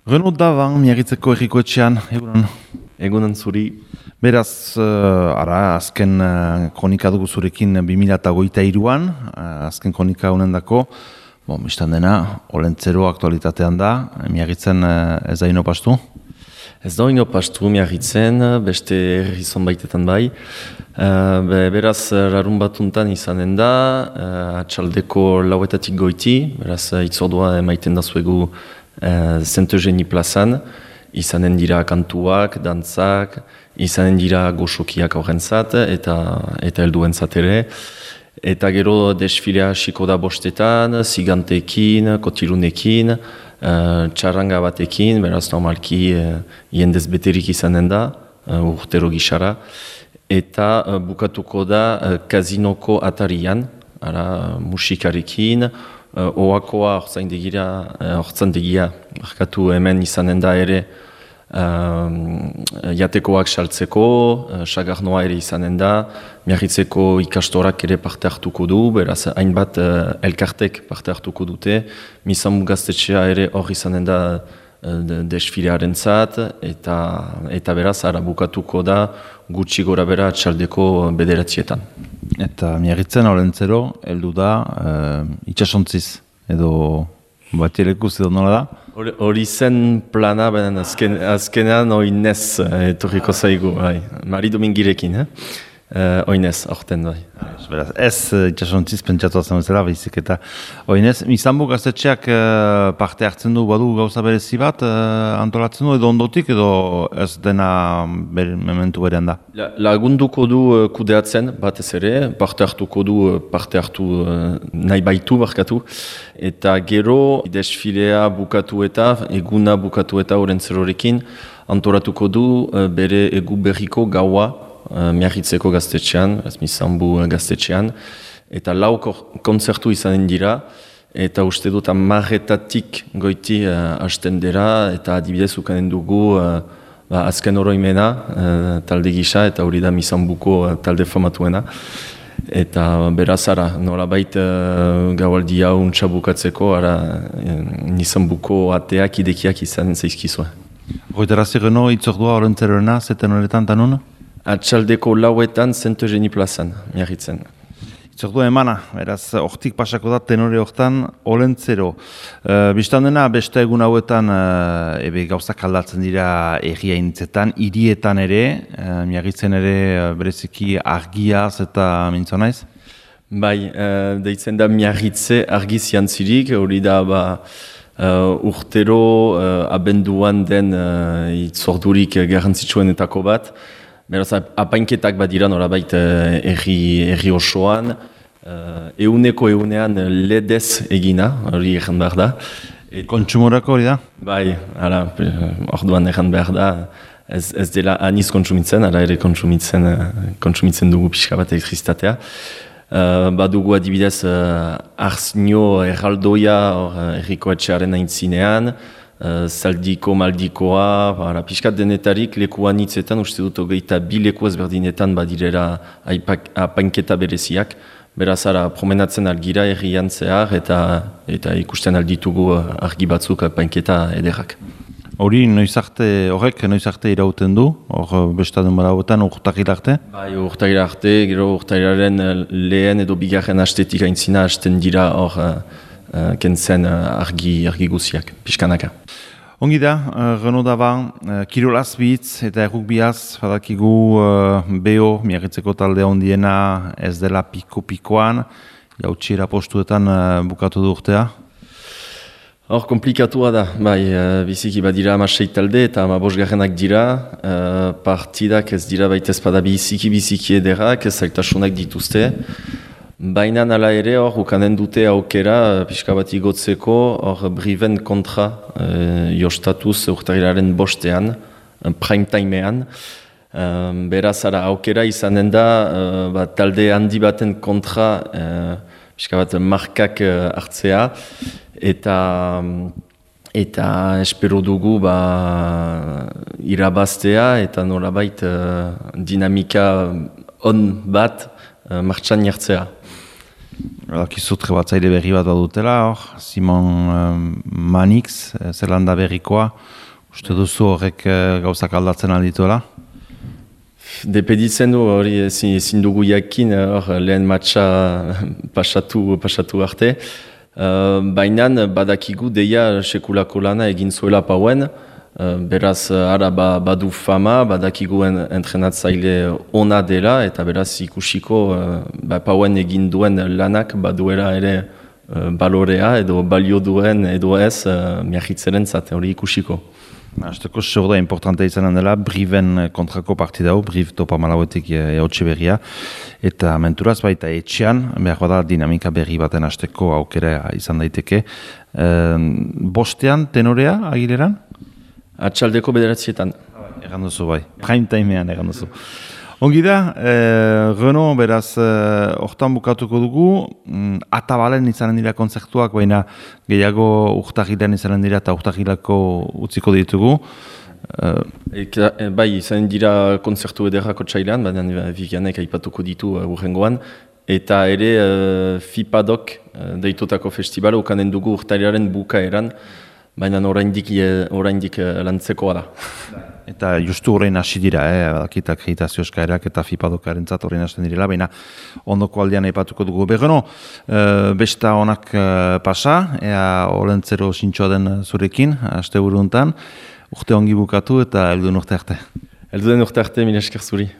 Renaud Davan, Miagitzeko Herriko Etxean, egunon. Egunon zuri. Beraz, azken kronika dugu zurekin 2023an, azken kronika honen dako, biztan dena, Olentzero aktualitatean da, Miagitzen ez da inopastu? Ez da inopastu Miagitzen, beste herri zonbaitetan bai. Beraz, larun batuntan izanen da, atxaldeko lauetatik goiti, beraz, itzordua emaiten da zuegu Saint-Eugénie plazan, izanen dira kantuak, dantzak, izanen dira goxokiak horrentzat eta helduentzat ere. Eta gero desfilea hasiko da bostetan, zigantekin, kotilunekin, txarranga batekin, beraz normalki jendez beterik izanen da, urtero gisara. Eta bukatuko da kazinoko atarian, musikarekin, oakoa hortzandegia markatu hemen izanen da ere jatekoak saltzeko, sagarnoa ere izanen da, Miagitzeko ikastorak ere parte hartuko du, beraz hainbat elkartek parte hartuko dute, Misambu gaztetxea ere hor izanen da desfilearen zat, eta beraz bukatuko da gutxi gora bera txaldeko bederatzietan. Eta Miagitzen Olentzero heldu da itxasontziz, edo batielekuz edo nola da? Hori zen plana, benen azkenean oinez etorriko zaigu, Mari Domingirekin, oinez, aurten bai. Beraz, ez itxasontziz pentsatu azan bezala, baizik eta oinez. Misambu gaztetxeak parte hartzen du, badu gauza berezi bat antolatzen du, edo ondotik, edo ez dena mementu berean da? Lagunduko du kudeatzen batez ere, parte hartu nahi baitu barkatu, eta gero desfilea bukatu eta, eguna bukatu eta Olentzerorekin, antolatuko du bere egu berriko gaua, Miagitzeko gaztetxean, Misambu gaztetxean, eta 4 kontzertu izanen dira, eta uste dut 10-etatik goiti hasten dira, eta adibidez ukanen dugu azken oroimena talde gisa, eta hori da Misambuko talde famatuena. Eta beraz, nolabait gaualdia untsa bukatzeko, Misambuko ateak idekiak izanen zaizkizue. Goitarazi geno, itzordua Olentzeroena, zeten horretan tanun? Atxaldeko lauetan Saint-Eugénie plazan, Miagitzen. Itzordua emana, beraz, hortik pasako da tenore hortan Olentzero. Bistan dena, beste egun hauetan gauzak aldatzen dira erriainitzetan, hirietan ere, Miagitzen ere bereziki argiaz eta mintzo naiz? Bai, deitzen da Miagitze argiz jantzirik, hori da urtero abenduan den itzordurik garrantzitsuenetako bat. Beraz, apainketak badira norabait erri osoan, egunean ledez egina, hori egin behar da. Kontsumorako hori da? Bai, orduan egin behar da, ez dela aniz kontsumitzen, ere kontsumitzen dugu pixka bat elektrizitatea. Badugu adibidez Arznio erraldoia erriko etxearen aintzinean, zaldiko, maldikoa, pixkat denetarik lekuan hitzetan, uste dut hogeita 2 leku ezberdinetan badirera apainketa bereziak. Beraz, promenatzen algira errian zehar eta ikusten alditugu argi batzuk apainketa ederrak. Horrek noiz arte irauten du, hor bestadun badauetan urtagila arte? Bai, urtagila arte, gero urtagilaren lehen edo bigarren astetik aintzina hasten dira hor kentzen argi guziak, pixkanaka. Ongi da, Renaud Davan, kirolaz bitz eta errukbiaz, badakigu BO, Miagitzeko talde ondiena ez dela piko-pikoan, jautxiera postuetan bukatu du urtea? Hor, komplikatua da, bai, biziki badira 16 talde eta 15 dira, partidak ez dira baita ezpada biziki ederak, zailtasunak dituzte. Baina nala ere hor, ukanen dute aukera, pixka bat igotzeko, hor Briven kontra jostatuz urtagilaren bostean, prime timean. Beraz, aukera izanen da, talde handi baten kontra, pixka bat markak hartzea, eta espero dugu irabaztea, eta nolabait dinamika on bat martxan jartzea. Dakizut trebatzaile berri bat badutela, hor, Simon Manix, Zelanda berrikoa, uste duzu horrek gauzak aldatzen aldituela? Depeditzen du hori ezin dugu jakin lehen matxa pasatu arte. Baina badakigu deia sekulako lana egin zuela Pauen, beraz ara badu fama, badakigu entrenatzaile ona dela eta beraz ikusiko Pauen egin duen lanak baduela ere balorea edo balio duen edo ez miahitzeren zate hori ikusiko. Azteko zorda importantea izanen dela, Briven kontrako partida hau, Briv topa malauetik eotxe berria, eta menturaz baita etxean, behar bada dinamika berri baten azteko aukera izan daiteke. Bostean, tenorea, agileran? Atxaldeko 9:00. Egan duzu bai, prime timean egan duzu. Ongi da, Renault beraz hortan bukatuko dugu, atabalen izanen dira kontzertuak, baina gehiago urtahilean izanen dira eta urtahilako utziko ditugu. Bai, izanen dira kontzertu ederrako txailan, baina Vivianek aipatuko ditu urrengoan, eta ere FIPADOK deitutako festival ukanen dugu urtailaren bukaeran, baina oraindik lantzekoa da. Eta justu horrein hasi dira, badakita akreditazio eskaerak eta FIPADOKaren zat horrein hasten direla, baina ondoko aldean aipatuko dugu. Berreno, besta honak pasa, ea olentzero sintxoa den zurekin, aste buruntan, urte ongi bukatu eta helduen urte arte. Helduen urte arte, mila esker zuri.